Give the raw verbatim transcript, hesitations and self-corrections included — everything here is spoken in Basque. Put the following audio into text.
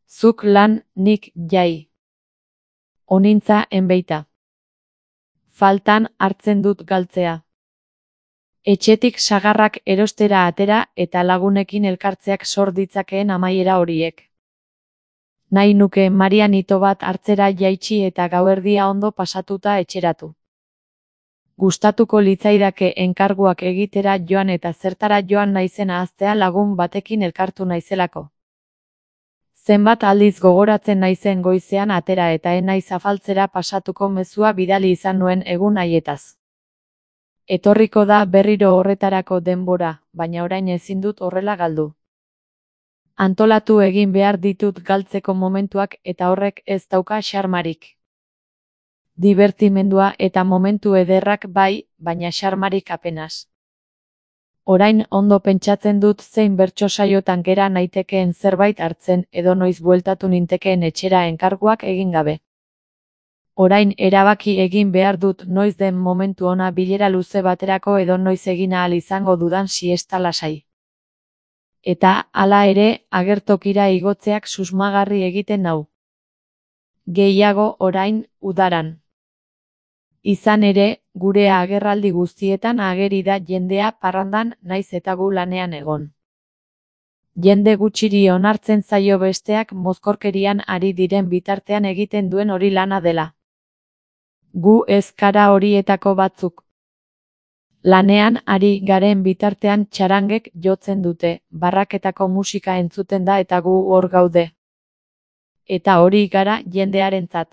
Zuk lan, nik jai. Onintza enbeita. Faltan hartzen dut galtzea. Etxetik sagarrak erostera atera eta lagunekin elkartzeak sor ditzakeen amaiera horiek. Nahi nuke Marian ito bat hartzera jaitsi eta gauerdia ondo pasatuta etxeratu. Gustatuko litzaidake enkarguak egitera joan eta zertara joan naizen ahaztea lagun batekin elkartu naizelako. Zenbat aldiz gogoratzen naizen goizean atera eta ez naiz afaltzera pasatuko mezua bidali izan nuen egun haietaz. Etorriko da berriro horretarako denbora, baina orain ezin dut horrela galdu. Antolatu egin behar ditut galtzeko momentuak eta horrek ez dauka xarmarik. Divertimendua eta momentu ederrak bai, baina xarmarik apenas. Orain ondo pentsatzen dut zein bertso saiotan gera naitekeen zerbait hartzen edo noiz bueltatu nintekeen etxera enkarguak egin gabe. Orain erabaki egin behar dut noiz den momentu ona bilera luze baterako edo noiz egin ahal izango dudan siesta lasai. Eta, hala ere, agertokira igotzeak susmagarri egiten nau. Gehiago orain, udaran. Izan ere, gure agerraldi guztietan ageri da jendea parrandan naiz eta gu lanean egon. Jende gutxiri onartzen zaio besteak mozkorkerian ari diren bitartean egiten duen hori lana dela. Gu ez kara horietako batzuk. Lanean ari garen bitartean txarangek jotzen dute, barraketako musika entzuten da eta gu hor gaude. Eta hori gara jendearentzat.